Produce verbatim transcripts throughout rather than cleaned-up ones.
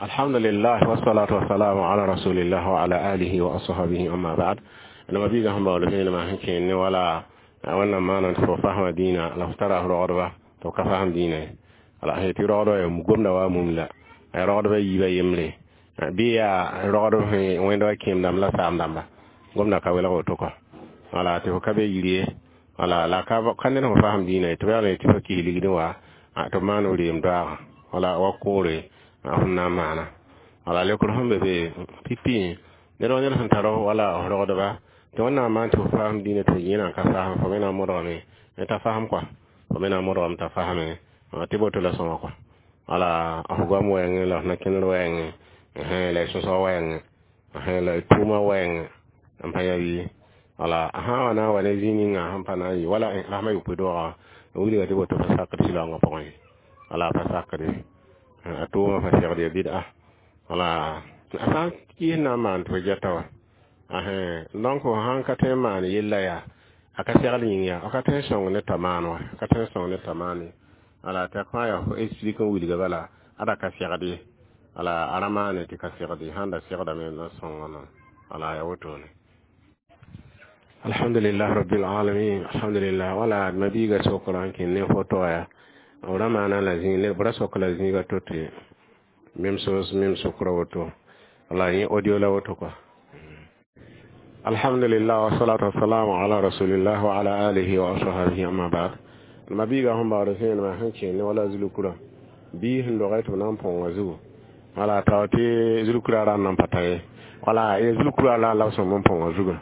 Alhamdulillah, wassalatu wassalamu ala rasulillah wa ala alihi wa ashabihi, amma ba'd. Na mabiga sẽn baool vẽenemã sẽn kẽen ne wala wẽnnaam maana tɩ fo fasma dĩinã la f tara f rogdba tɩ f ka fasem dĩinã ye. Wala sẽn tɩ rogdbã yaa gomda wa mum la rogdbã yiibã yembre bɩ yaa rogdb sẽn wẽnd wa kẽem dãmb la saam dãmba gomda ka welg woto kɔ. Wala tɩ fo ka be yir ye, wala la ka ka ned fo fasem dĩinã ye tɩ b yaa tɩ fo kis ligdẽ wa tɩ b maan f reem doaagã wala wa koore f na n maana. Wala leokr sẽn be be pipi ned wa ned sẽn tar wala f rogdba tɩ wẽnnaam maan tɩ fo fasem dĩinã tɩ yẽ na n ka fasem, fo me na n modgame t'a fasem kɔa, fo me na n modgame t'a faseme tɩ boto la sõma kɔa. Wala f goam wɛɛngẽ la f na-kẽndr wɛɛngẽ la y sõsg wɛɛngẽ la y tʋʋma wɛɛngẽ n pa yaa bɩ. Wala a sã n wa na n wa ne zĩig ninga sẽn pa na n yɩ wala rasmã yopoe doogã n wilga tɩ boto pa sakd sɩlaoongã pʋgẽ ye. Wala a pa sakde a tʋʋmã pa segd ya bɩda. Wala a sã n kɩɩs na n maan tɩ fo gɛta wa, donc fo sãn ka tõe n maan yella yaa a ka segl yĩng yaa f ka tõe n sõng ne t'a maan wa, ka tõe n sõng ne t'a maan ye. Wala tɩ a fãa yaa fo explique n wilga bala ada ka segd ye. Wala a ra maane tɩ ka segd ye, sãn da segdame na sõngã noor. Wala yaa wotone. Alhamdulillah rabbil alamin, alhamdulillah. Wala mabiiga sokra n kẽ ne foto ya b ra maana la zĩig ne b ra sok la zĩiga to tɩ même chose, même sokra woto. Wala yẽ audio la woto kɔa. Alhamdulillah, wassalatu wassalamu ala rasulillah wa ala alihi wa ashabihi, amma ba'd. Mabiiga sẽn baood vẽenemã sẽn kẽ ne wala zulukura bii sẽn dogã tɩ b na n põnga zugu, wala tao tɩ zulukura ra n na n pa ta ye. Wala ya zulukura la la b sõm n põnga zugã.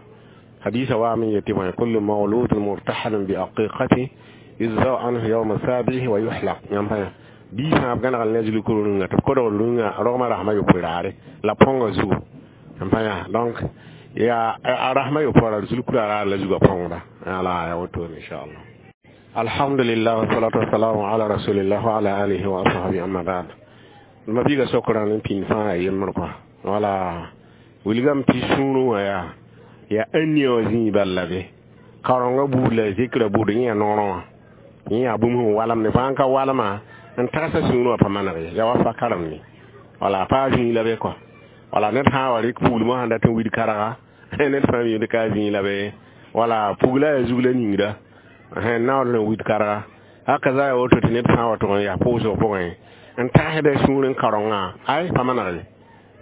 Hadisa wa min yeti bõe: kullu mawludun murtahanun bi aqiqati yuzau anhu yawma sabihi wa yuhlaq. Yãmb pa bii sã b gãnegl ne zulukuru rũngã tɩ b kodg rũngã rogmã rasmã yopoe raare la põnga zugu n pa yã. Donc ya a rasmã yopoe ra zulukura raar la zugã põngda. Ala ya wotone, inchallah. Alhamdulillah, wassalatu wassalamu ala rasulillah wa ala alihi wa ashabihi, amma ba'd. Mabiiga sokra n pĩnd fãa ya yembr kɔa. Wala wilgame tɩ sũurẽ wã yaa ya ania wã zĩig bal la be kaorengã buud la zikra buud yẽ yaa noorẽ wã, yẽ yaa bũmb sẽn walem ne fãa n ka walma n tagsa sũurẽ wã pa maneg ye, yaa wa fa karem ne. Wala a paa zĩig la be kɔa. Wala ned sã n wa rɩk puglmã sẽn dat n wid karga, ned fãa miimd ka a zĩig la be. Wala pugla yaa zug la ningda naoor n wid karga haka za ya woto tɩ ned sã n wa tʋg n yaa pʋʋsg pʋgẽ n tagsda sũur n kaorengã ay pa maneg ye.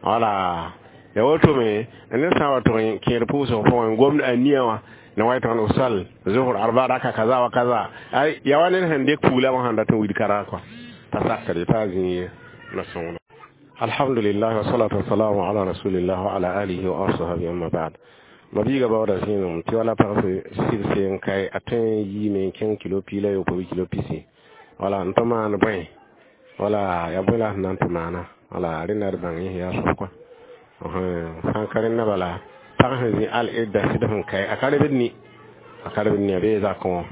Wala ya woto me ned sã n wa tʋg n kẽed pʋʋsg pʋgẽ n gomd a nia wã na wa tɩg n sal zuhr arba raka kaza wa kaza ay ya wa ned sẽn dɩk pugla wã sẽn dat n wid karga kɔa pa sakre pa zĩig ye na sõngda. Alhamdulillah, wassalatu wassalamu ala rasulillah wa ala alihi wa ashabihi, amma ba'd. Mabiiga baooda zĩigem tɩ wala pag sɩbse n kae a tõe n yiime n kẽng kilo piig la yopoe bɩ kilo pisi. Wala n tɩ maan bõe, wala yaa bõe la sẽn na n tɩ maana. Wala rẽnda d bãng yẽ yaa soab kɔa sã n ka rẽnda bala pag sẽn zĩ al idda sɩd sẽn kae a ka rebd ni, a ka rebd ni a bee zakẽ wã.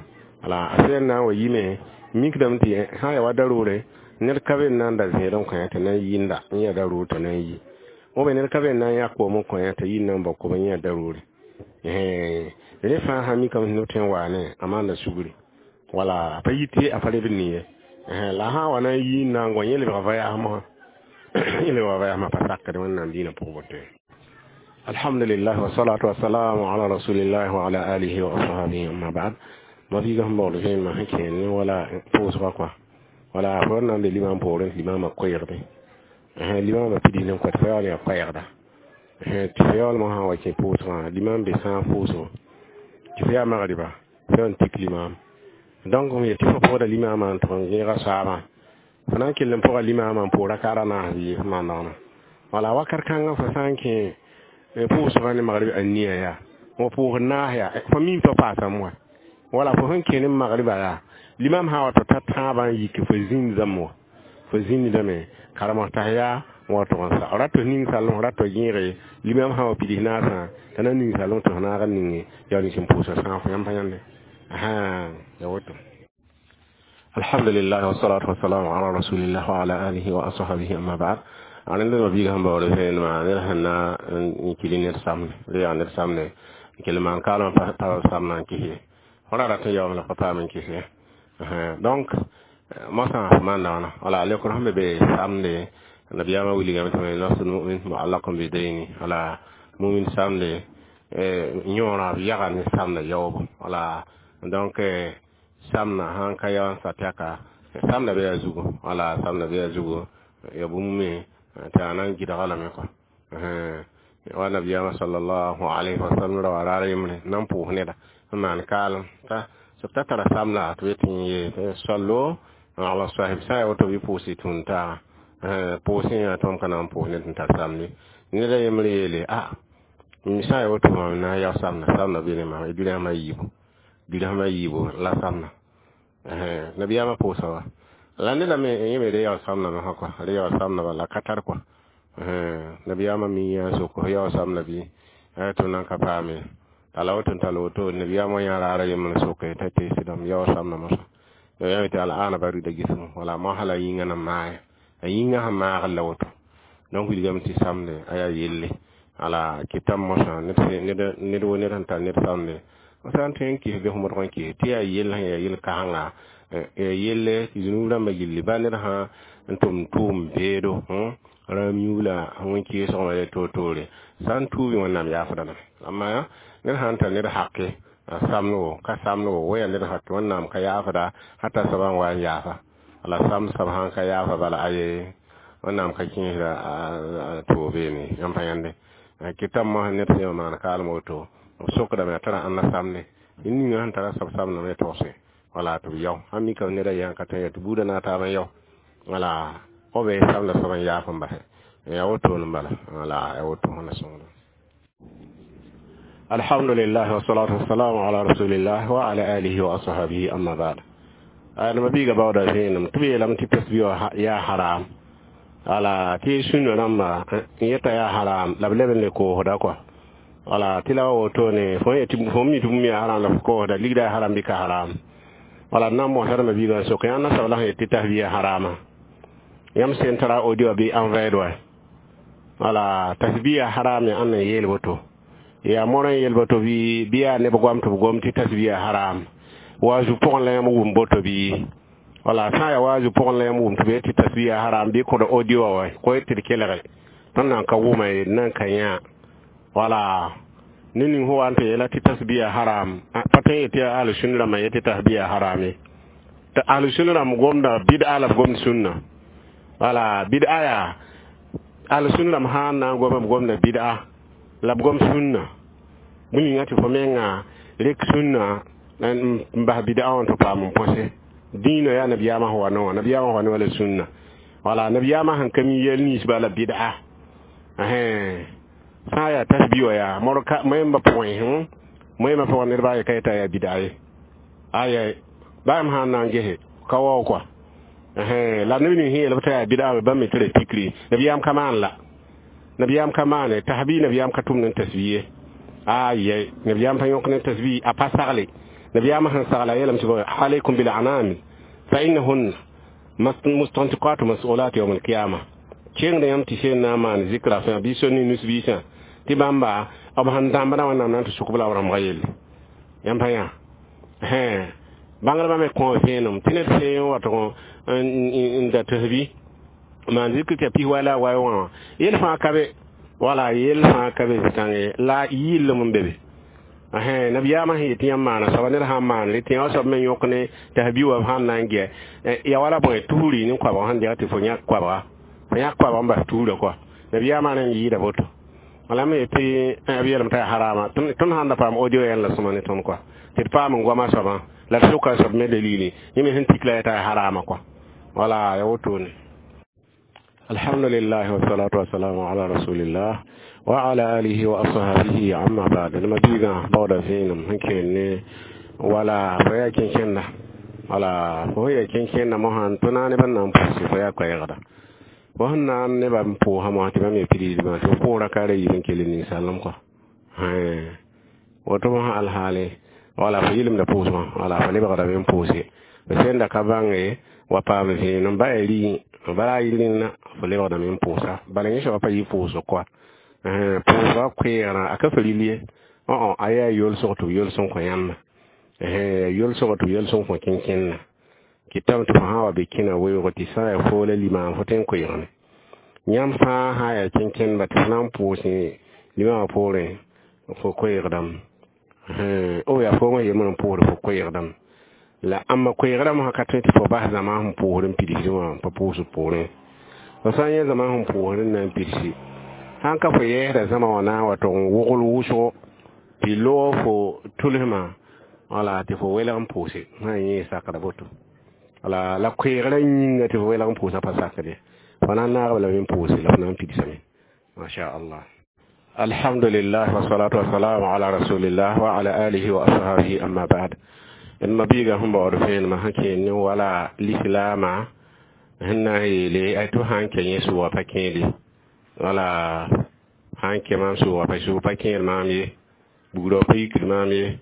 Wala a sẽn na n wa yime mikdame tɩ sã n yaa wa daroore ned ka be n na n da zẽed n kõ tɩ na n yɩnda n yã daroor tɩ na n yi wã ned ka be n na n yã koom n kõ tɩ yɩ n na n bao koom n yã daroore rẽ fãa sã mikame tɩ neb tõe n waane a maanda sugri. Wala a pa yit a pa rebd ni ye. La sã n wa na n yi n na n gõ yẽ lebga voyage mosã, yẽ lebga voyage pa sakd wẽnnaam dĩinã pʋg boto. Alhamdulillah, wassalatu wassalamu ala rasulillah wa ala alihi wa ashabihi, amma ba'd. Mabiiga sẽn baool vẽenemã sẽn kẽen ne wala pʋʋsga kɔa. Wala fo na n be limam poorẽ tɩ limamã koɛɛgde, limamã pidis n kõ tɩ fa yaool yaa koɛɛgda tɩ fa yaoolmã sã n wa kẽ pʋʋsgã limam be sã n pʋʋsgo tɩ fo yaa magriba fo yaa n tik limam. Donc m yet tɩ fo pʋgda limamã n tʋg n gẽega soaabã fo na n kell n pʋga limamã n pʋʋg rakaada naas bɩ f maan daoona. Wala wakat kãngã fo sã n kẽ pʋʋsgã ne magrib ania yaa wa pʋʋsd naas yaa fo mim tɩ paasame wa. Wala fo sẽn kẽ ne magriba yaa limam sã wa tɩ ta tãabã n yik fo zĩnd zãmb wã fo zĩndame karem t'a yaa wa tʋg n sa rat ning salem rat gẽege limam sã wa pids naasã t'a na ning salem tɩ f naag n ninge yaa nins n pʋʋsa sãag fo yãmb pa yãnde ya woto. Alhamdulillah, wassalatu wassalamu ala rasulillah wa ala alihi wa ashabihi, amma ba'd. Rẽnd mabiiga sẽn baood vẽenemã ned sẽn na n kili ned samne bɩ yaa ned samne n kell maan kaalmã pa samna n kis ye fo ra rat n yaoom la pa paam n kis ye. Donc mosã f maan daoona. Wala leokr sẽn be be samde Nabiyaamã wilgame tɩ nafs lmumin muallaqun bidayni. Wala mumin samde yõora b yaga ne samda yaoobo. Wala donc samna sãn ka yao n sat yaka samda be yaa zugu. Wala samda be yaa zugu ya bũmb me tɩ a na n gɩdga lame kɔa wa nabiyaamã sallallahu alayhi wa sallam ra wa raar yembre na n pʋʋs neda n maan kaalem t'a t'a tara samda tɩ b yetɩ n yee sallo ala sahib sã n yaa woto bɩ pʋʋs y tũud taaga pʋʋsẽ yaa tõnd ka na n pʋʋs ned n tar samde neda yembr yeele a sã n yaa woto mam na n yao samda samda be ne mam dirham a yiibu dirham a yiibu la samda nabiyaamã pʋʋsa wa la neda me yẽ me re yao samda mosã kɔa re yao samda bala ka tar kɔa nabiyaamã mi yaa sok yao samda bɩ tɩ nan ka paame t'a la woto n tall woto nabiyaamã yã raara yembr soke t'a teesdame yao samda mosã nabiyaam tɩ al-ana barida gismu wala mosã la yĩngã na maaya a yĩngã sẽn maagr la woto donc wilgame tɩ samde a yaa yelle ala kɩtame mosã ned wo ned sẽn tar ned samde sã n tõe n kɩs bɩ f modg n kɩs tɩ yaa yell sẽn yaa yel-kãsenga yaa yelle tɩ zũnub rãmbã gilli ba ned sã n tʋm tʋʋm beedo rãam yũula wẽn-kɩɩsg wã toor-toore sã n tuubi wẽnnaam yaafda lame amma ned sã n tar ned hake a samdgo ka samdgo wa yaa ned hake wẽnnaam ka yaafda hata soabã n wa n yaafa la sam soab sãn ka yaafa bala aye wẽnnaam ka kẽesda toog beene yãmb pa yãnde kɩtame mosã ned sẽn maan kaalem woto b sokdame a tara ãnna samde ninga sẽn tara soab samdame ya togse wala tɩ b yao sãn mika neda yã ka tõe ya tɩ buudã na taab n yao wala f be samda soab n yaaf n basɛ ya woto n bala wala ya woto na sõngda. Alhamdulillah wassalatu wassalamu ala rasulillah wa ala alihi wa ashabihi amma ba'd. Adama biiga baooda vẽenem tɩ b yeelame tɩ tasbi yaa haram wala tɩ sũnã rãmba n yeta yaa haram la b leb n le koosda kɔa wala tɩ la wa wotone fo fo mi tɩ bũmb yaa haram la f koosda ligda yaa haram bɩ ka haram wala d na n mosdma biigã n sok yãnd na soab la sẽn yet tɩ tasbi yaa harama yãmb sẽn tara audio bɩ envɛɛd wa wala tasbi yaa haram ya ãnd n yeel woto yaa morã n yeel boto bɩ bɩ yaa neb goam tɩ b gom tɩ tasbi yaa haram waazu pʋgẽ la yãmb wʋm boto bɩ wala sã n yaa waazu pʋgẽ la yãmb wʋm tɩ b yet tɩ tasbi yaa haram bɩ kõd audio wa ko tɩ d kelge tõnd nan ka wʋma ye d nan ka yã wala ne ning fo wa n tɩ yeela tɩ tasbi yaa haram pa tõe n yetɩ yaa ahlu-sunna rãmbã yetɩ tasbi yaa haram ye tɩ ahlu-sunna rãmb gomda bɩd'a la b gomd sũnna wala bɩd'a yaa ahlu-sunna rãmb sã n na n goma b gomda bɩd'a la b gom sũnna bũmb ninga tɩ fo menga rek sũnna n bas bɩd'a wã tɩ paam n põse dĩinã yaa nabiyaamã sẽn wa ne wã nabiyaamã sẽn wa ne wã la sũnna wala nabiyaamã sẽn ka mi yɛl ninsba la bɩd'a sã n yaa tasbi wã yaa moẽmbã pʋgẽ moẽmbã pʋgẽ nedbã ye ka yeta yaa bɩd'a ye aya bãmb sãn na n gese ka wao kɔa la neb ning sẽn yeel b t'a yaa bɩd'a bãmb me tɩ ra pikri nabiyaam ka maan la nabiyaam ka maane tasbi nabiyaam ka tʋmd n tasbi ye aya nabiyaam pa yõk ne tasbi a pa sagle nabiyaamã sẽn sagla a yeelame tɩ alaykum bil anami fa innahunna mustantiqatu mas'ulat yawm al-qiyamah kẽngd yãmb tɩ sẽn na n maan zikra fãa bɩ sor ne nus-biisã tɩ bãmba b sẽn dãmbdã wẽnnaam na n tɩ sʋk b la b rãmbga yelle yãmb pa yã bãngdbã me kõ vẽenem tɩ ned sẽn watg n da tasbi maan zikr tɩ ya pis wa la a wa wã yel fãa ka be wala yel fãa ka be zĩ-kãnge la yɩllem n be be nabiyaamã sẽn yetɩ yãmb maana soaba ned sãn maan tɩ yã soab me yõk ne tasbi wa b sãn na n gɛ ya wala bõe tusri ne koabg sẽn deg tɩ fo yãk koabga fo yãk koabg n bas tusrã kɔa nabiyaamã rẽnd yɩɩda boto wala me yetɩ b yeelame t'a yaa harama tõnd sãn da paam audio yɛl la sõma ne tõnd kɔa tɩ d paam n goamã soabã la d soka soab me dalili yẽ me sẽn tik la t'a yaa harama kɔa wala ya wotone. Alhamdulillah wassalatu wassalamu ala rasulillah wa ala alihi wa ashabihi amma ba'd. Nima biiga baooda vẽenem sẽn kẽer ne wala fo yaa kẽnkẽnda wala fo yaa kẽnkẽnda mosã tɩ na nebã na n pʋʋse fo yaa koɛɛgda fo sẽn na n nebã n pʋʋsã mosã tɩ bãmb yaa pidisdmã tɩ f pʋʋra ka ra yiib n kell ninsaalem kɔa woto mosã alhaale wala fo yɩlemda pʋʋsmã wala fo lebgdame n pʋʋse f sẽn da ka bãnge wa paam vẽenem ba yaa rɩ bala a yɩl rẽnna fo lebgdame n pʋʋsa bala yẽ soaba pa yɩ pʋʋsg kɔa pʋʋsga koɛɛgrã a ka fa ril ye a yaa yolsg tɩ b yols n kõ yãmba yolsg tɩ b yols n kõ kẽnkẽnna kɩtame tɩ fo sã n wa be kẽna weoog tɩ sã n yaa foo la limaam fo tõe n koeegame Yãmb fãa sã n yaa kẽnkẽndba tɩ f na n pʋʋsẽ limãwã poorẽ fo koeegdame o yaa foom yembr n pʋʋsd fo koeegdame la ãmba koeegdame sã ka tõe tɩ fo bas zãma sẽn pʋʋsd n pidsd wã n pa pʋʋsd poorẽ fo sã n yẽ zãma sẽn pʋʋsd n na n pidsi sãn ka fo yɛɛsda zãma wã na n wa tog n wogl wʋsgo tɩ loog fo tʋlsmã wala tɩ fo welg n pʋʋse sã n yẽ sakda boto wala la koeegrã yĩnga tɩ fo welg n pʋʋsã pa sakd ye fo na n naagb lame n pʋʋse la fo na n pidsame masha allah. Alhamdulillah wassalatu wassalamu ala rasulillah wa ala alihi wa ashabihi amma ba'd. D mabiiga sẽn baood vẽenemã sẽn kẽer ne wala lislaamã sẽn na n yeele a tɩ sã n kɛ yẽ sʋʋga pa kẽede wala sã n kɛ maam sʋʋga pa sʋʋg pa kẽer maam ye bugrã pa yikd maam ye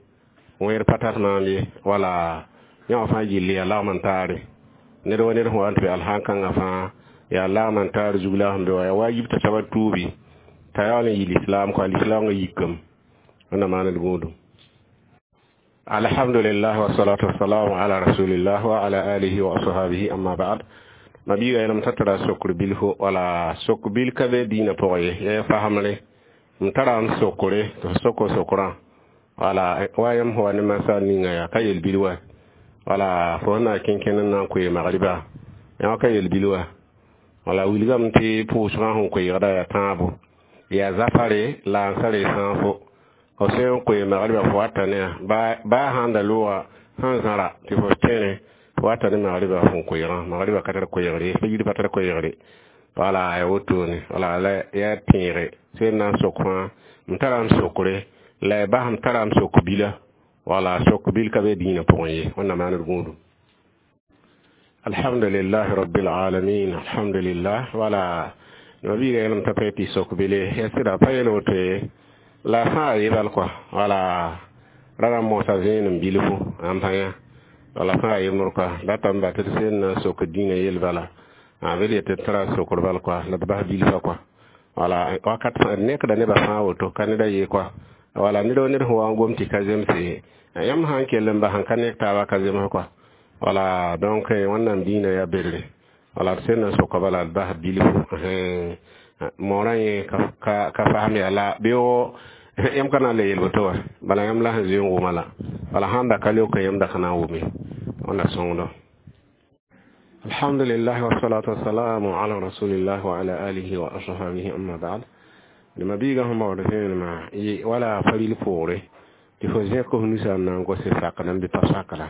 wẽer pa tar maam ye wala yã wã fãa gilli yaa lagm n taare ned wa ned sẽn wa n tɩ be alsãn-kãngã fãa yaa lagm n taar zug la sẽn be wa yaa wajib t'a soaba tuubi t'a yaool n yɩ lislaam kɔa lislaamgã yikame wẽnna maand gũudum. Alhamdulillah wassalatu wassalamu ala rasulillah wa ala alihi wa ashabihi amma ba'd. Mabiiga yẽlem t'a tara sokr bilfo wala sok bil ka be dĩinã pʋgẽ ye yaa fasemre m tara n sokre tɩ f soko sokrã wala wa yãmb sẽn wa ne masal ninga yaa ka yel bil wa wala fo sẽn na n kẽnkẽnd n na n koe magriba yã ka yel bil wa wala wilgame tɩ pʋʋsgã sẽn koeegda yaa tãabo yaa zafare la n sare sãafo fo sẽn n koe magriba fo wata ne baa sãn da looga sẽn zãra tɩ fo tẽne fo wata ne magriba fõn koeegã magriba ka tar koeegre fajir pa tar koeegre wala ya wotone wala la yaa tẽege sẽn na n sok fãa m tara n sokre la y bas m tara m sok bila wala sok bil ka be dĩinã pʋgẽ ye wẽnna maand gũudum. Alhamdulillah rabbil alamin alhamdulillah wala mabiiga yẽlem t'a pa tɩ sok bile ya sɩda pa yel woto ye la fãa yebal kɔa wala rara mosa vẽenem bilfu n pa yã wala fãa yemr kɔa datame ba tɩ d sẽn na n sok dĩinã yel bala a bd yetɩ d tara sokr bal kɔa la d bas bilfã kɔa wala wakat d nekda nebã fãa woto ka neda ye kɔa wala ned wa ned sẽn wa n gom tɩ ka zemse yãmb sã n kell n bas n ka nek taaba ka zems kɔa wala donc wẽnnaam dĩinã yaa berre wala d sẽn na n soka bala d bas bilfu moorã yẽ ka ka fasem yaa la beoogo yãmb ka na n le yel woto wa bala yãmb la sẽn zoe n wʋma la wala sãn da ka leok yãmb da ka na n wʋme wẽnna sõngdo. Alhamdulillah wassalatu wassalamu ala rasulillah wa ala alihi wa ashabihi amma ba'd. Mabiiga sẽn baood vẽenemã wala faril poore tɩ fo zẽk f nusa n na n gose sakda n bɩ pa sakda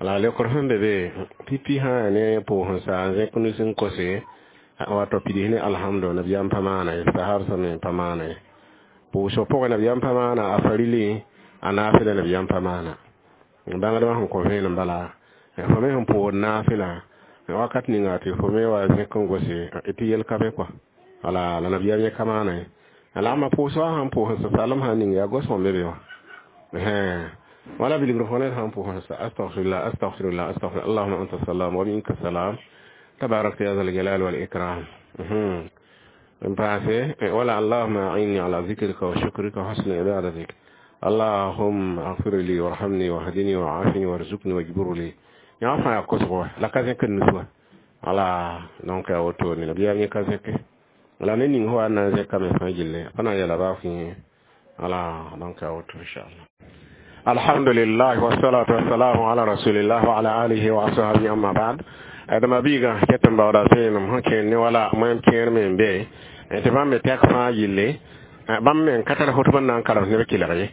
la leokr sẽn be be pipi sã yaa ne pʋʋs n sa n zẽk nus n kose wato pids ne alhamdu nabiyaam pa maana ye sahab sẽm pa maana ye pʋʋsg pʋgẽ nabiyaam pa maana a farili a naafɩla nabiyaam pa maana bãngdbã sẽn kõ vẽenem bala fo me sẽn pʋʋd naafɩla wakat ninga tɩ fo me wa zẽk n gose tɩ yel ka be kɔa wala la nabiyaam yẽ ka maana ye la ãmba pʋʋsgã sãn pʋʋs n salem sã ning yaa gos be be wã wala bilgr fo ned sãn pʋʋs astaghfirullah astaghfirullah astaghfirullah allahumma anta salam wa minka salam tabarakta ya zal jalal wal ikram n paase wala allahumma a'inni ala zikrika wa shukrika wa husni ibadatik allahumma اغفر لي وارحمني واهدني وعافني وارزقني واجبر لي yã fãa yaa kosgo wa la ka zẽk n nus wa wala donc yaa wotone nabiyaam yẽ ka zẽke la ne ning fo wa na n zẽkame fãa gilli pa na n yɛla baa fẽe wala donc yaa woto inchallah. Alhamdulillah wassalatu wassalamu ala rasulillah wa ala alihi wa ashabihi amma ba'd. D mabiiga ket n baooda vẽenem sẽn kẽer ne wala moẽm kẽer me n be tɩ bãmb me tɛk fãa gilli bãmb me n ka tar fotb n na n karem neb kelg ye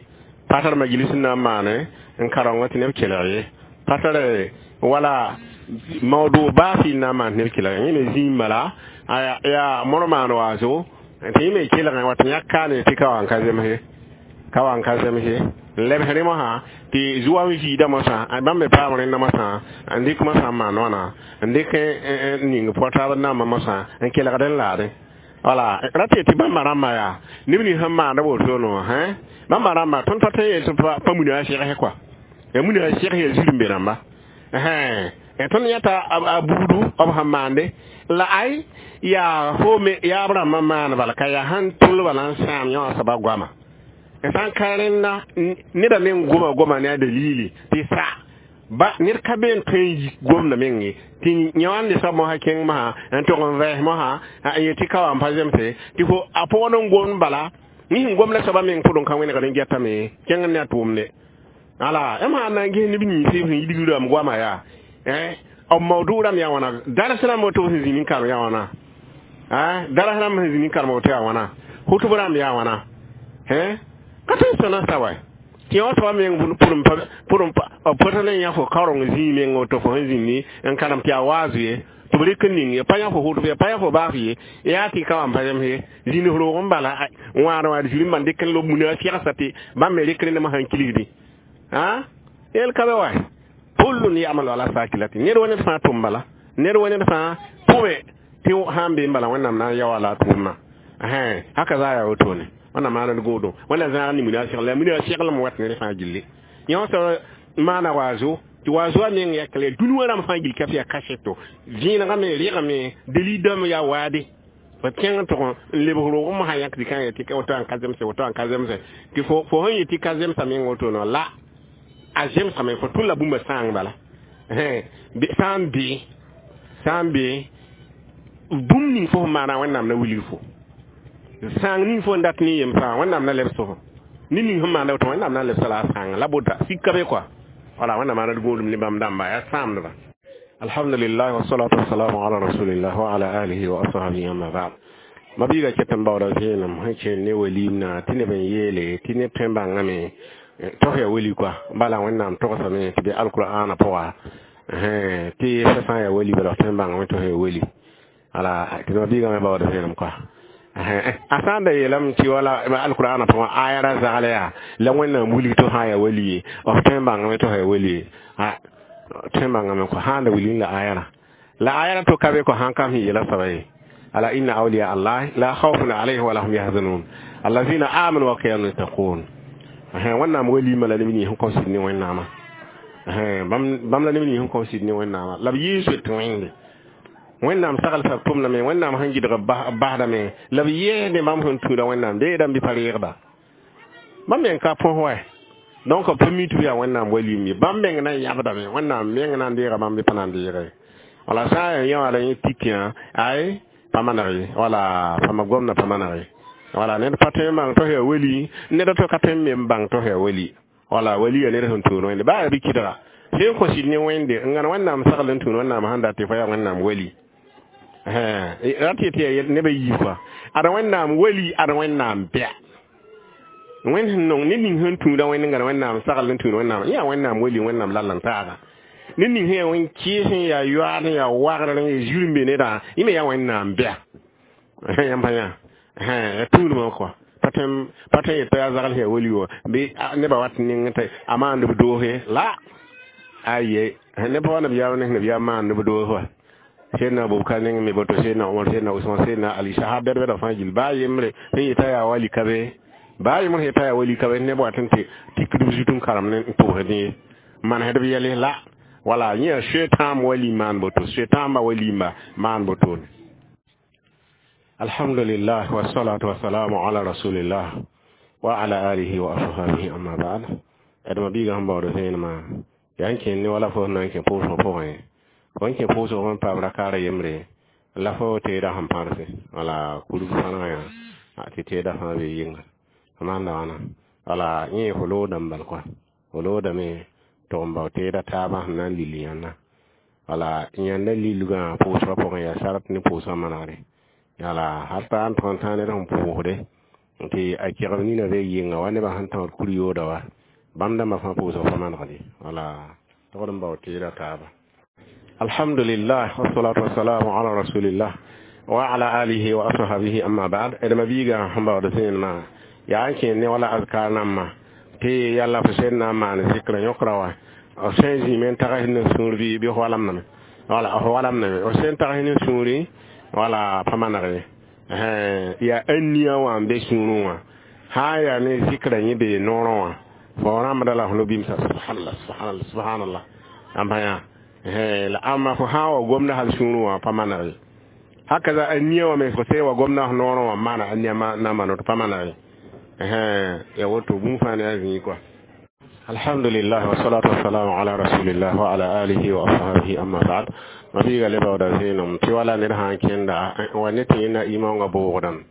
pa tar majlis n na n maane n karengã tɩ neb kelg ye pa tar wala mawdu baa fɩ n na n maan neb kelg yẽ me zĩig bala yaa mor maan waaso tɩ yẽ me kelgẽ wa tɩ yãk kaane tɩ ka wa n ka zemse ka wa n ka zemse n lebs rẽ mosã tɩ zoa n viida mosã bãmb me paam rẽnda mosã n dɩk mosã n maan wãna n dɩk n ning pɔ taab nambã mosã n kelgd n laadẽ wala ra tɩ tɩ bãmba rãmbã yaa neb nins sẽn maanda wotone wã bãmba rãmbã tõnd pa tõe n yel tɩ pa muna a sɛgs kɔa ya muna a sɛgs yaa zirẽ be rãmba tõnd yãta a buudu b sẽn maande la ay yaa fo me yaa b rãmbã maan bala ka yaa sãn tʋl bala n sãam yã wã soaba goama sã n ka rẽnda neda meng goma goma ne a dalili tɩ sa Ba ned ka be n tõe n yik gomdã meng ye tɩ yã wãnde soab mosã kẽng mosã n tog n vɛɛs mosã n yet tɩ ka wa n pa zemse tɩ fo a pʋgd n gomd bala ne sẽn gom la soabã meng pʋdẽ ka wẽnegd n getame kẽng ne a tʋʋmde ala m sã n na n ges neb nins sẽn yidg rãmb goama yaa b mawdug rãmb yaa wãna daras rãmb woto sẽn zĩnd n karem yaa wãna daras rãmb sẽn zĩnd n karem woto yaa wãna hʋtb rãmb yaa wãna ka tõe n sõna sa wa tɩ yã soaba meng pʋrẽ pʋtã ne yã fo kaoreng zĩig meng woto fo sẽn zĩndi n karem tɩ yaa waazu ye tɩ b rɩk n ning ye pa yã fo hʋtb ye pa yã fo baas ye yaa tɩ ka wa n pa zems ye zĩnd roog n bala wãad wãad zĩnd n ban dɩk n lob muna segsa tɩ bãmb me rɩk rẽndame sãn kilsdi yel ka be wa kullun ya'malu ala sakilati ned wa ned fãa tʋm bala ned wa ned fãa pʋme tɩ sãn be n bala wẽnnaam na n yao la a tʋʋmã haka za yaa wotone wẽnnaam maana d goodõ wẽnna zãag ne mina segl la mina seglem wat ned fãa gilli yõ soab maana waazo tɩ waazo a meng yakle dũni wã rãmb fãa gill ka yaa kaseto vẽenegame rɩgame delidame yaa waade fo kẽng n tʋg n lebg roog mosã yãk tɩ kã yetɩ woto n ka zemse woto n ka zemse tɩ fo fo sẽn yetɩ ka zemsa meng wotono la a zemsame fo tʋl la bũmba sãang bala sã n bee sã n bee bũmb ning fo sẽn maana wẽnnaam na wilg fo sãang ning fo n dat ne yem fãa wẽnnaam na lebs fo ne ning sẽn maanda woto wẽnnaam na lebsa la a sãanga la bota sika be kɔa wala wẽnnaam maana d gũudum ne bãmb dãmba yaa sãamdba alhamdulillah wassalatu wassalamu ala rasulillah wa ala alihi wa ashabihi amma ba'd mabiiga ket n baooda vẽenem sẽn kẽen ne waliimna tɩ neb n yeele tɩ neb tõe n bãngame tog ya wali kɔa bala wẽnnaam togsame tɩ be alqur'ana pʋga tɩ fa sã n yaa wali bala f tõe n bãngame tɩ f ya wali wala tɩ mabiigã me baooda vẽenem kɔa a sã n da yeelame tɩ wala alqur'ana pʋgã aya ra zagl yaa la wẽnnaam wilg tɩ sã n yaa wali ye f tõe n bãngame tɩ f ya wali ye tõe n bãngame kɔ sã n da wilg la aya rã la aya rã to ka be kɔ sãn kam sẽn yeela soaba ye ala inna awliya allah la khawfun alayhim wala hum yahzanun allazina amanu wa kanu yattaqun wẽnnaam waliimã la neb nins sẽn kao sɩd ne wẽnnaamã bãmb la neb nins sẽn kao sɩd ne wẽnnaamã la b yɩɩ soet wẽnde wẽnnaam saglsa b tʋmdame wẽnnaam sẽn gɩdg b basdame la b yɛɛsde bãmb sẽn tũuda wẽnnaam deedame bɩ pa reegda bãmb meng ka põs wa donc b pa mi tɩ b yaa wẽnnaam waliim ye bãmb meng na n yãbdame wẽnnaam meng na n deega bãmb bɩ pa na n deege wala sã n yaa yã wala yẽ tikẽ ay pa maneg ye wala pama gomdã pa maneg ye wala ned pa tõe n bãng tɩ f yaa wali ned to ka tõe n me n bãng tɩ f yaa wali wala wali yaa ned sẽn tũud wẽnde baa yaa bɩ kɩdga sẽn kõ sɩd ne wẽnde n gãn wẽnnaam sagl n tũud wẽnnaam sẽn dat tɩ fo yaa wẽnnaam wali ra tɩ tɩ yaa nebã yiib kɔa ad wẽnnaam wali ad wẽnnaam bɛa wẽnd sẽn nong ned ning sẽn tũuda wẽnd n gãn wẽnnaam sagl n tũud wẽnnaam yã wẽnnaam wali wẽnnaam lal n taaga ned ning sẽn yaa wẽn kɩɩs n yaa yoaad n yaa wagr n yaa zir n be nedã yẽ me yaa wẽnnaam bɛa yãmb pa yã tũudmã kɔa pa tõe n yet t'a yaa zagl sẽn yaa wali wã bɩ nebã wat n ning tɩ a maand b doose la aye neb pa wa nabiyaam ne nabiyaam maand b doos wa Seydina Abubakar neng me boto Seydina Umar Seydina Usman Seydina Ali sahab bɛd bɛda fãa gill baa yembre sẽn yeta yaa wali ka be baa yembr sẽn yeta yaa wali ka be neb wat n tɩ tikd b zut n karem ne n tʋgsd ye manesd b yɛls la wala yẽ yaa soe-tãam wali maan boto soe-tãambã walimba maan botone alhamdulillah wassalatu wassalamu ala rasulillah wa ala alihi wa ashabihi amma ba'd d mabiigã sẽn baood vẽenemã yaa n kẽnd ne wala fo sẽn na n kẽ pʋʋsgã pʋgẽ fo n kẽ pʋʋsg n paam rakaara yembre la fo teeda sẽn pãrse wala kurg fãnegã yã tɩ teeda fãa be yɩnga f maanda wãna wala yẽ fo loodame bal kɔa fo loodame tʋg n bao teeda taabã sẽn na n lil yãnda wala yãnda lilgã pʋʋsgã pʋgẽ yaa sart ne pʋʋsgã manegre wala hal t'a n tʋg n tãag ned sẽn pʋʋsde tɩ a kegb nina be yɩnga wa nebã sẽn tãod kur-yooda wa bãmb dãmbã fãa pʋʋsg pa manegde wala togd n bao teeda taaba alhamdulillah wassalatu wassalamu ala rasulillah wa ala alihi wa ashabihi amma ba'd d mabiiga sẽn baood vẽenemã yaa n kẽend ne wala azkar nambã tɩ yalla fo sẽn na n maan zikr yõkra wa f sẽn zĩime n tags ne sũur bɩ bɩ f walamdame wala f walamdame f sẽn tags ne sũuri wala pa maneg ye yaa ania wã n be sũurẽ wã sã n yaa ne zikra yẽ bee noorẽ wã fo rãmbda la f no-bimsa subhanallah subhanallah subhanallah ãmba yã la ãmba fo sã n wa gomda hal sũurẽ wã pa maneg ye hakaza ania wã me fo sẽn wa gomda f noorẽ wã maana ania na mano tɩ pa maneg ye ya woto bũmb fãa ne a zĩig kɔa Alhamdulillah wassalatu wassalamu ala rasulillah wa ala alihi wa ashabihi amma ba'd. Mabiiga le baooda zẽenem tɩ wala ned sã n kẽnda wa ne tɩ yẽnda imaongã boogdame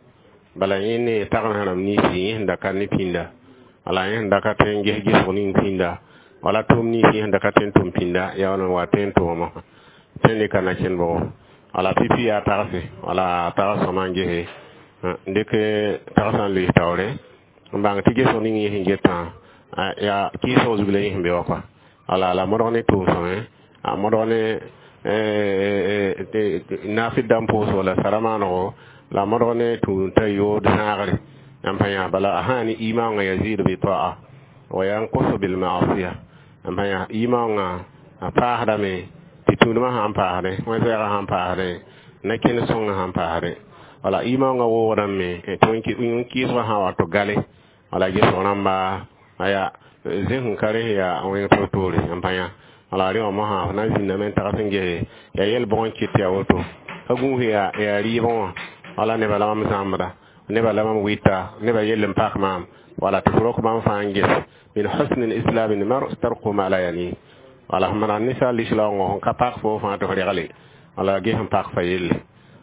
bala yẽ ne tagensã rãmb ninsã yẽ sẽn da ka ne pĩnda wala yẽ sẽn da ka tõe n ges gesg ning pĩnda wala tʋʋm nins yẽ sẽn da ka tõe n tʋm pĩnda yaa wala n wa tõe n tooma tõe n dɩka na kẽnd bʋgo wala pipi yaa tagse wala tags sõma n gese n dɩk tagsã n loees taoore n bãng tɩ gesg ning yẽ sẽn getã yaa kɩɩsg zug la yẽ sẽn be wa kɔa wala la modg ne tʋʋm sõmẽ a modg ne naafɩd dãmb pʋʋs wala sara maanego la modg ne tũud t'a yood zãagre n pa yã bala a sã ne imaongã yazidu bi ta'a wa yanqusu bil ma'asiya n pa yã imaongã a paasdame tɩ tũudmã sãn paasdẽ wẽn-zɛɛgã sãn paasdẽ na-kẽnd sõngã sãn paasdẽ wala imaongã woogdame tɩ wẽn kɩɩsgã sã wato gale wala gesg rãmba aya zẽ sẽn ka res yaa wẽng toor-toore n pa yã wala rẽ wã mosã f na n zĩndame n tags n gese yaa yɛl bʋg n kɩt tɩ yaa woto ka gũus yaa yaa rɩɩbẽ wã wala nebã la mam zãmbda nebã la mam wɩta nebã yell n pak maam wala tɩ f rok bãmb fãa n ges min husni l-islam l-mar tarku ma la yani wala f maneg ninsaal lislaoongã sẽn ka pak fo fãa tɩ f regle wala ges n pak fa yelle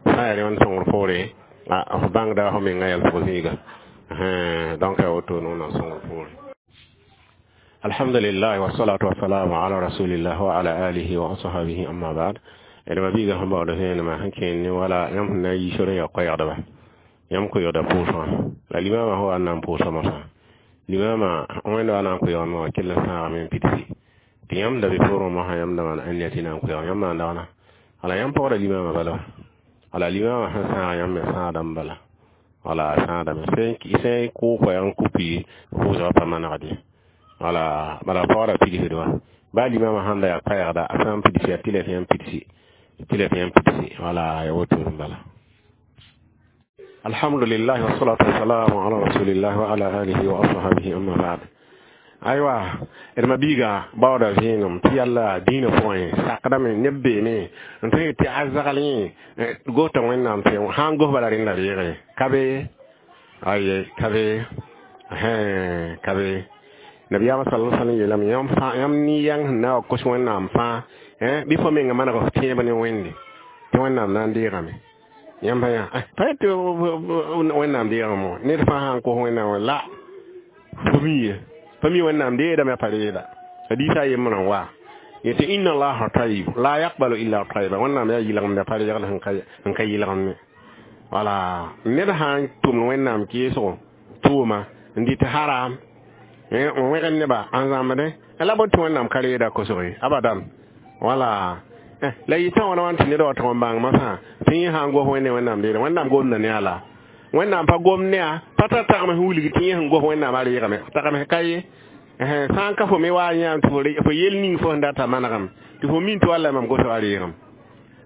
sã n yaa rẽ wãn sõngr poore f bãngda f menga yɛlsg zĩiga donc yaa woto wẽnnaam sõngr poore. Alhamdulillah wassalatu wassalamu ala rasulillah wa ala alihi wa ashabihi amma ba'd. D mabiiga sẽn baood vẽenemã sẽn kẽen ne wala yãmb sẽn na n yi sor n ya koɛɛgdba yãmb koɛɛgda pʋʋsgã la limama sẽn wa n na n pʋʋsa mosã limama wẽnd wa na n koɛɛgame wã kell n sãagame n pidsi tɩ yãmb da be poorẽ mosã yãmb da maan ãnniya tɩ na n koɛɛg yãmb maan dagna wala yãmb pagda limama bala wala limama sẽn sãag yãmb me sãadame bala wala sãadame sẽn kʋʋ koɛɛg n kupi pʋʋsgã pa manegd ye wala bala pagda pidsd wã baa limama sãn da yaa koɛɛgda a sã n pidsi yaa tɩ la tɩ yãmb pidsi tɩ la tɩ yãmb pidsi wala ya woto n bala. Alhamdulillah wassalatu wassalamu ala rasulillah wa ala alihi wa ashabihi amma ba'd. Aywa d mabiiga baooda vẽenem tɩ yalla dĩinã pʋgẽ sakdame neb beene n tõe tɩ a zagl yẽ gosda wẽnnaam tɩ sã n gos bala rẽnda reege ka be aye ka be ka be nabiyaamã sal sallam yeelame yãmb fãa yãmb ne-yãng sẽn na wa kos wẽnnaam fãa bɩ fo menga maneg f tẽeb ne wẽnde tɩ wẽnnaam na n deegame yãmb pa yã pa tɩ wẽnnaam deegame wã ned fãa sã n kos wẽnnaam wã la fo miye pa mi wẽnnaam deedame pa reeda hadiisa a yembrã n wa yetɩ inna allaha tayib la yaqbalu illa tayiba wẽnnaam yaa yɩlgemda pa reegl sẽn ka yɩlgemne wala ned sã n tʋmd wẽnnaam keesgo tʋʋma n dɩt haram n wẽgd nebã n zãmbdẽ la bõe tɩ wẽnnaam ka reeda kosg ye abadan wala la yɩtã wãna wãn tɩ ned wa tʋg n bãng masã tɩ yẽ sã n gos wẽnde wẽnnaam deeda wẽnnaam gomda ne a la wẽnnaam pa gom ne a pa tar tagms wilg tɩ yẽ sẽn gos wẽnnaam a reegame tagms ka ye sã n ka fo me wa n yãam tɩ fo yel ning fo sẽn data manegem tɩ fo min tɩ walla mam gos a reegem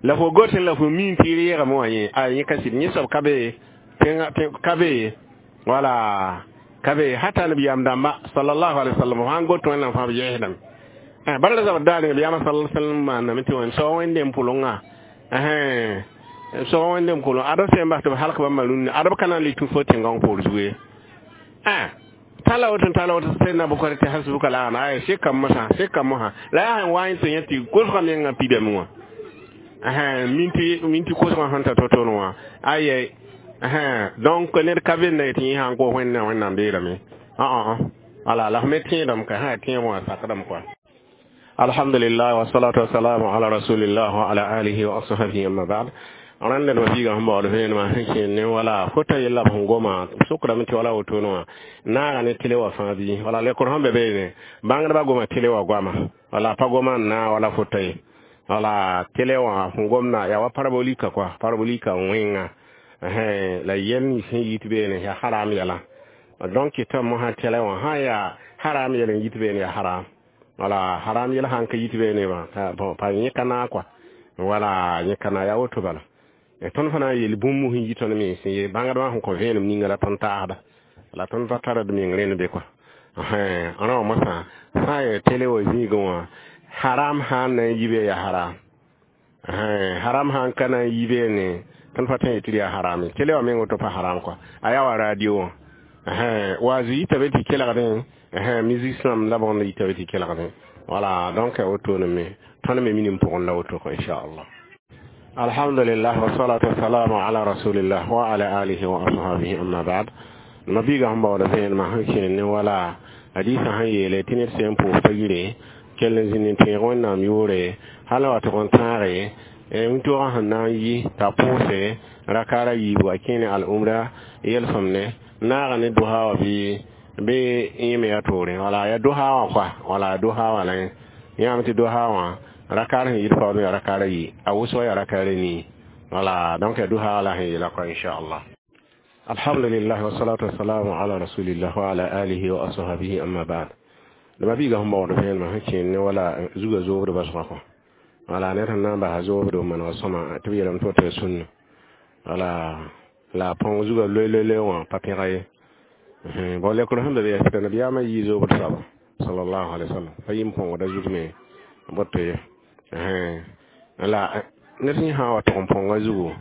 la fo gosẽ la fo min tɩ reegame wã yẽ a yẽ ka sɩd yẽ soab ka be ka be wala ka be hata nabiyaam dãmba sallallahu alaihi wasallam sã n got wẽnnaam fãa b yɛɛsdame bala la zabr daar nabiyaamã sal sallam maandame tɩ wẽn soag wẽnde pʋlengã soag wẽnde pʋleng ad b sẽn bas tɩ b halk bãmba rũnnã ad b ka na n le tũ fo tẽngãng poor zugu ye tala woto tala woto sẽnna bʋkar tɩ hasbuka la ãna ay sɩkam mosã sɩkam mosã la yaa sẽn wa n tɩ yẽ tɩ kosgã mengã pidame wã minti minti kosgã sẽn ta to-to wã aye donc ned ka venda tɩ yẽ sã n kos wẽnna wẽnnaam deerame wala la f me tẽedame ka sã tẽeb wã sakdame kɔa. Alhamdulillah wassalatu wassalamu ala rasulillah wa ala alihi wa ashabihi amma ba'd. Rãnd d mabiigã sẽn baood vẽenemã sẽn kẽen ne wala fota yella b sẽn goma sʋkrame tɩ wala wotone wã naaga ne tele wã fãa bɩ wala lekr sẽn be beene bãngdbã goma tele wã goama wala pa goma n naag wala fota ye wala tele wã sẽn gomda yaa wa parabolika kɔa parabolika wẽnga la yɛl nins sẽn yit beene yaa haram yɛla donc tɩ mosã tɛlɛ wã sã yaa haram yɛl n yit beene yaa haram wala haram yɛl sãn ka yit beene wã bon pa yẽ ka naag kɔa wala yẽ ka naag yaa woto bala tõnd fãa na n yeel bũmb sẽn yi tõnd mens ye bãngdbã sẽn kõ vẽenem ninga la tõnd taasda la tõnd pa tara d meng rẽnd be kɔa rã wã mosã sã n yaa tele wã zĩigẽ wã haram sã n na n yi be yaa haram haram sã n ka na n yi beene tõnd pa tõe n yetɩ yaa haram ye tele wã meng woto pa haram kɔa a yaa wa radio wã Wa zĩ yita be tɩ kelgdẽ, musicien la bõnd yita be tɩ kelgdẽ. Voilà, donc wotone me tõnd me minim pʋgẽ la woto inchallah. Alhamdulillah, wassalatu wassalamu ala rasulillah wa ala alihi wa ashabihi, amma ba'd. Mabiiga sẽn baooda vẽenemã sẽn kẽer ne wala hadiisã sẽn yeele tɩ ned sẽn pʋʋs pa yire kell n zĩnd n tẽeg Wẽnnaam yʋʋre hal wa tʋg n tãage wĩntoogã sẽn na n yi t'a pʋʋse rakaara yiibu a kẽene al-umra yelsẽmne naaga ne dosa wã bɩ bɩ yẽ me yaa toore. Wala ya dosa wã koa, wala dosa wã la yãame tɩ dosa wã rakaar sẽn yit paoodẽ yaa rakaara yi, a wʋsg yaa rakaara nii. Wala donc ya dosa wã la sẽn yeela koa inchallah. Alhamdulillah, wassalatu wassalamu ala rasulillah wa ala alihi wa ashabihi, amma ba'd. Dama biiga sẽn baood vẽenemã sẽn kẽer ne wala zuga zoobd basgã kɔ. Wala ned sẽn na n basa zoobd n maneg sõma tɩ b yeelame tɩ woto sũnna. Wala la põng zuga loe loe loe wã pa pẽga ye. Bon, lekr sẽn be be yaa tɩ nabiyaamã yii zoobd soaba sallallahu alaihi wasallam pa yɩ n põngda zug me boto ye. La ned sẽn sã n wa tʋg n põnga zugu,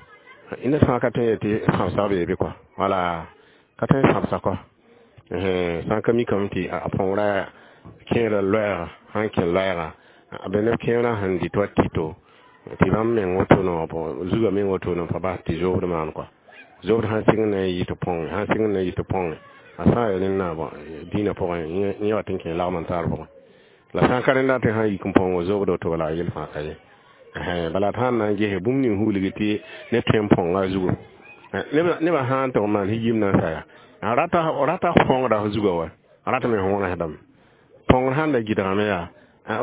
ned fãa ka tõe n yetɩ sãbsg bee bɩ kɔa. Wala ka tõe n sãbsa kɔa sã n ka mikame tɩ a põngrã kẽerã loɛɛga sãn kẽ loɛɛga b neb kẽerã sẽn dɩt wa tito tɩ bãmb meng woto no zuga meng woto no pa bas tɩ zoobd maan kɔa. Zoobd sãn sɩng na n yɩ tɩ põnge, sãn sɩng na n yɩ tɩ põnge, a sã n yaa rẽnna dĩinã pʋgẽ yẽ wa tɩ n kẽ lagm n taar pʋgẽ. La sã n ka rẽnda tɩ sãn yik n põngo zoobd woto wala a yel fãa ka ye. Bala tɩ sãn na n gese bũmb ning hulgi tɩ ned tõe n põnga zugu, nebã sã n tʋg n maan yim na n sa yaa rata rata põngda f zuga wa rata me võonesdame põngr sãn da gɩdgame yaa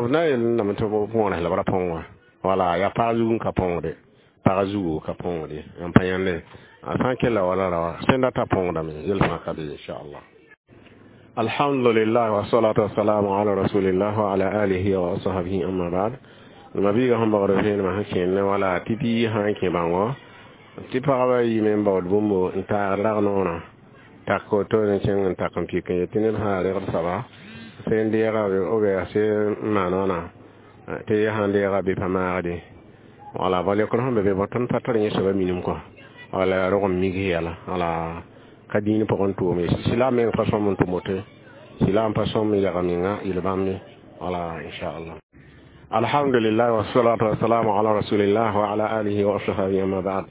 b na n yel tɩ võones la b ra põng wã. Wala yaa pag zug n ka põngde, pag zugu ka põngde n pa yãnde a sã n kella wala ra sẽn data põngdame yel fãa ka be inchallah. Alhamdulillah, wassalatu wassalamu ala rasulillah wa ala alihi wa ashabihi, amma ba'd. Mabiiga sẽn baood vẽenemã sẽn kẽer ne wala tɩ bi sã n kẽ bãngo tɩ pagba yiime n baood bũmbo n taagd rag noorã tak woto n kẽng n tak n pik n yetɩ ned sã regd soaba sẽn deega b sẽn maan wãna tɩ sãn deega bɩ pa maagde. Wala ba lekr sẽn be be tõnd pa tar yẽ soaba minim kɔ. Wala rog n migse yɛla wala ka dĩin pʋgẽ tʋʋm ye sɩla meng pa sõm n tʋm woto sɩla n pa sõm n yaga menga yel bãmb ye. Wala inchallah. Alhamdulillah, wassalatu wassalamu ala rasulillah wa ala alihi wa ashabihi, amma ba'd.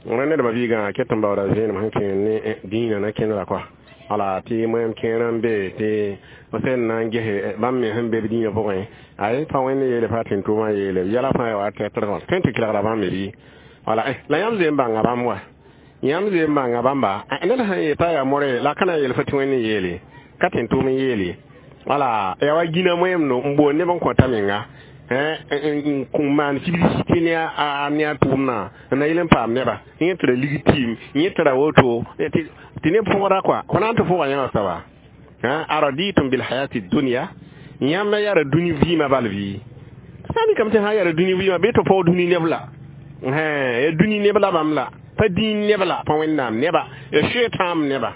Rẽnd nedbã biigã ket n baooda vẽenem sẽn kẽer ne dĩinã na kẽndra kɔa. Wala tɩ moɛɛm kẽerã n be tɩ sẽn na n gese bãmb me sẽn be b dĩinã pʋgẽ ay pa Wẽnd yeele pa tɩ n tʋʋmã yeele yɛla fãa ya wa tɛtrgã tõe tɩ kelgda bãmb me bɩ. Wala la yãmb zoe n bãnga bãmb wa yãmb zoe n bãnga bãmba ned sãn yeta yaa more la ka na n yel fo tɩ Wẽnd n yeele ka tɩ n tʋʋm n yeele. Wala yaa wa gĩna moɛɛm no n boond neb n kõta menga n maan publicité ne a ne a tʋʋmdã n na yel n paam neba yẽ tɩ ra lig tɩɩm yẽ tɩ ra woto tɩ neb pʋgda kɔa fo na n tɩ pʋga yã wã soaba araditum bilhayati dunya yãmb yaa dũni vɩɩmã bal bɩ sã n mikame tɩ sã n yaa dũni vɩɩmã bɩ tɩ paoog dũni neb la ya dũni neb la bãmb la pa dĩin neb la pa Wẽnnaam neba ya soe-tãam neba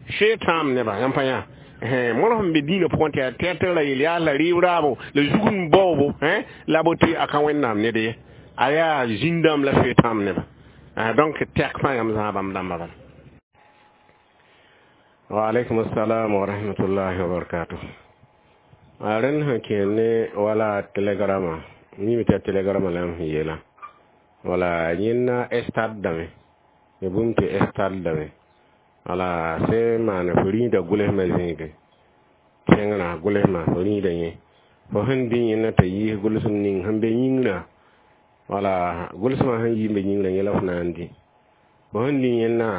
soe-tãam neba yãmb pa yã mõr sẽn be dĩinã pʋgẽ tɩ yaa tɛtr la yel yaa la rɩɩb raabo la zugum baoobo la bo tɩ a ka Wẽnnaam ned ye a yaa zĩn-dãmb la soe-tãam neba. Donc tɛk fãa yãmb zãag bãmb dãmbã bala. Wa alaikum assalam wa rahmatullahi wa barakatuh. A rẽnd sẽn kẽer ne wala telegrama mime tɩ yaa telegrama la yãmb sẽn yeela wala yẽnna stade dame ya bũmb tɩ stade dame. Wala sẽn maan fo rĩida gʋlsmã zĩige kẽngrã gʋlsmã fo rĩida yẽ fo sẽn dĩ yẽnna t'a yiis gʋlsem ning sẽn be yĩngrã. Wala gʋlsmã sẽn yi n be yĩngrã yẽ la fo na n dĩ fo sẽn dĩ yẽnna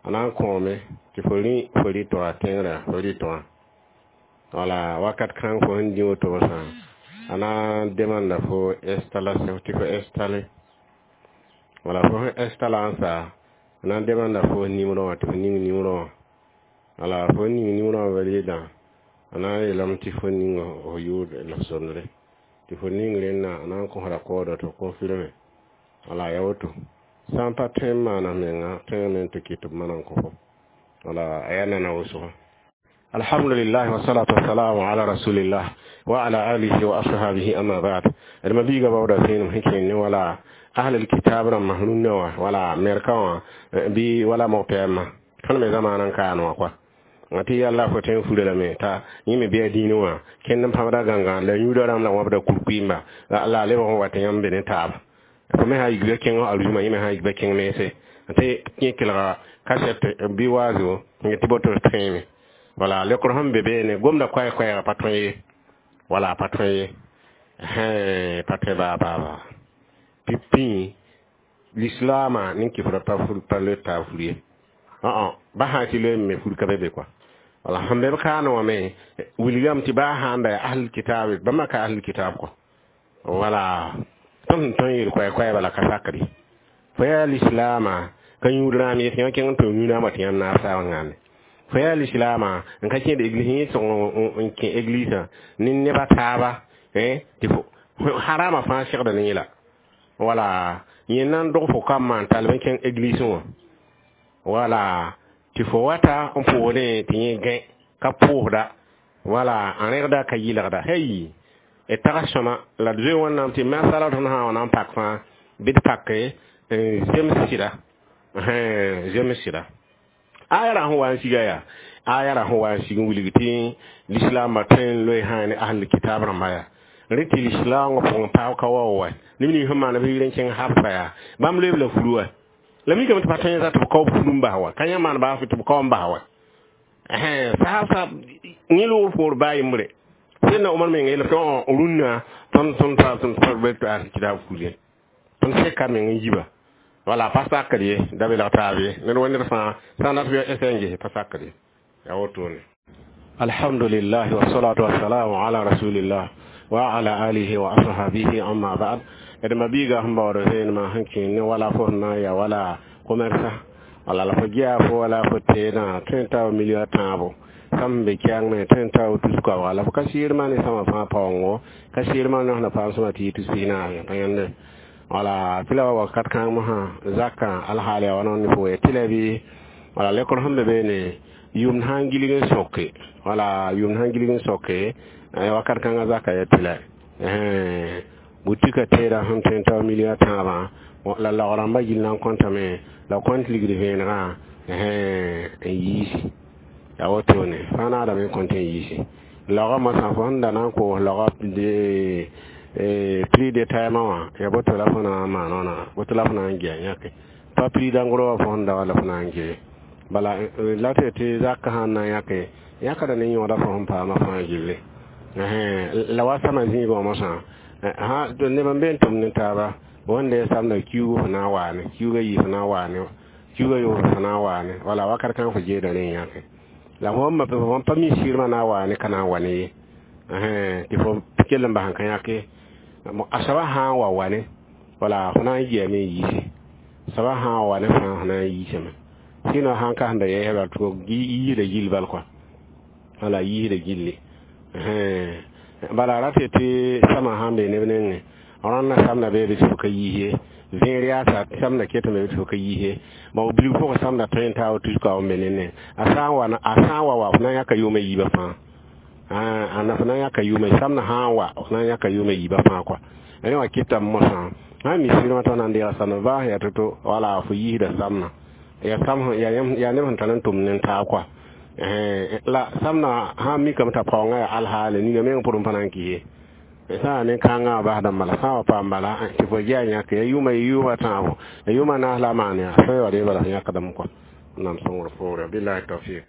a na n kõome tɩ fo rĩ fo rɩ-toa tẽngrã fo rɩ-toã. Wala wakat kãng fo sẽn dĩ woto sã a na n demanda fo installation tɩ fo installe. Wala fo sẽn installa n sa a na n demanda fo nimrõ wã tɩ fo ning nimrõ wã. Wala fo ning nimrõ wã validã a na n yeelame tɩ fo ning fo yʋʋr la f somdre tɩ fo ning rẽnna a na n kõsda koodã tɩ f confirme. Wala yaa woto sã n pa tõe n maana menga tõe me tɩ kɩt tɩ b mana n kõ fo. Wala a yaa nana wʋsgo. Alhamdulillah, wassalatu wassalamu ala rasulillah wa ala alihi wa ashabihi, amma ba'd. D mabiiga baooda vẽenem sẽn kẽer ne wala ahlul kitab rãmba rũnnã wã wala Amerika wã bɩ wala mog-pɛɛmã. Tõnd me zamaana n kaan wã koa tɩ yalla fo tõe n fura lame t'a yẽ me bɩ a dĩinẽ wã kẽnd n pãbda gãngã la yũuda rãmb la wãbda kur-kʋɩɩmba la a lebg n wa tɩ yãmb be ne taaba fo me sã n yik kẽng a-rũmã yẽ me sã n yik ba kẽng mense tɩ yẽ kelga kasɛt bɩ waazo n tɩ boto tõeeme wala lekr sẽn be beene gomda koɛɛ-koɛɛgã pa tõe ye wala pa tõe ye pa tõe baa baa baa tɩ pĩ lislaamã nin-kɩfrã pa pa loe taa fur ye ba sã tɩ loe me fur ka be be kɔa wala sẽn be b kaane wã me wilgame tɩ baa sãn da yaa ahlul kitaab bãmba ka ahlul kitaab kɔ wala tõnd sẽn tõe n yeel koɛɛ-koɛɛba la ka sakd ye fo yaa lislaamã ka yũud rãam ye tɩ yã kẽng n tʋm yũ-rãambã tɩ yãmb naab saab n ãnde fo yaa lislaamã n ka kẽed église yẽ sõg n kẽ église ne neba taaba tɩ fo harama fãa segda ne yẽla wala yẽ na n dog fo kambã n tall n kẽng église wã wala tɩ fo wata n pʋʋsdẽ tɩ yẽ gẽ ka pʋʋsda wala n rẽgda ka yɩlgda hey d tags sõma la d zoe wẽnnaam tɩ masala tõnd sã n wa na n pak fãa bɩ d pake n zems sɩda zems sɩda aya ra sẽn wa n siga yaa aya ra sẽn wa n sig n wilg tɩ lislaambã tõe n loe sã ne ahlul kitab rãmba yaa rẽ tɩ lislaangã pʋgẽ paab ka wa wa neb nins sẽn maan b yɩr n kẽng habsa yaa bãmb loeeb la furu wa la mikame tɩ pa tõe n za tɩ b kao furu n bas wa ka yã maan baa tɩ b kao n bas wa saasa yẽ loog poor baa yembre sẽdna Omar menga yeelame tɩ rũnnã tõnd tõnd tõnd tõnd ahlul kitab fur ye tõnd seka meng n yiba wala pa sakd ye da belg taab ye ned wa ned fãa sã n dat bɩ s n ges pa sakd ye yaa wotone. Alhamdulillah wassalatu wassalamu ala rasulillah wa ala alihi wa ashabihi, amma ba'd. D ma-biiga sẽn baood vẽenemã sẽn kẽ ne wala fo sẽn na n ya wala commerce wala la fo gea fo wala fo teedã tõe n tao million tãabo sam be kɛɛng me tõe n tao tus koabga la fo ka sɩɩrmã ne sãma fãa paoongo ka sɩɩrmã ne sẽn na paam sõma tɩ yɩ tus pis-naas pa yãnde wala tɩ la wa wakat kãng mosã zakã alhaal yaa wa ne fo tɩ la bɩ wala lekr sẽn be beene yʋmd sã n gilg n soke wala yʋmd sã n gilg n soke wakat kãngã zaka ya tɩ la butika teeda sẽn tõe n tao million tãabã la laog rãmbã gill na n kõtame la kõnt ligd vẽenegã n yiisi yaa wotone fãa naadame n kõnt n yiisi laoogã mosã fo sẽn da na n koos laoogã prix détaillement wã ya boto la fo na n maan wãna boto la fo na n gea yãke pa prix d'en gros wã fo sẽn da wa la fo na n gee bala la tɩ tɩ zakã sãn na n yãke yãkda ne yõoda fo sẽn paama fãa gilli la wa sãma zĩigã wã mosã neb n be n tʋmd ne taaba wẽnda ya samda kiuug fo na n waane kiuugã yii fo na n waane kiuugã yoosg fo na n waane wala wakat kãng fo jeeda rẽ n yãke la fo fõn pa mi sɩɩrmã na n waane ka na n wa ne ye tɩ fo kell n bas n ka yãke a soaba sã n wa wane wala fo na n geame n yiise soaba sã n wa wane fãa fo na n yiisame sɩnõ sãn ka sẽn da yɛɛsã tɩ yiisda gill bal kɔa wala yiisda gilli bala ra tɩ tɩ samã sãn be neb nengẽ rãnda samda beebe tɩ f ka yiis ye vẽer yaasa samda ketame tɩ f ka yiis ye bon bilg pʋgẽ samda tõe n taa tus kaoog n be nenne a sã n wa a sã n wa wa f na n yãka yʋʋmã yiibã fãa ãna f na n yãka yʋʋmã samdã sã n wa f na n yãka yʋʋmã yiibã fãa kɔa rẽ wã kɩtame mosã sã n mi sɩrmã t'a na n deega samdã baa sẽn yaa to-to wala fo yiisda samdã ya sam yaa neb sẽn tar n tʋmd ne taab kɔa la samdã sã n mikame t'a paoongã yaa alhaale ninga meng pʋrẽ pa na n kɩs ye sã n ne kãngã wã basdã bala sã n wa paam bala tɩ fo gea yãke ya yʋʋma yʋʋma tãabo ya yʋʋma naas la a maan yaa sã n wa dee bala f yãkdame kɔa nam sõngr poore billahi tawfik.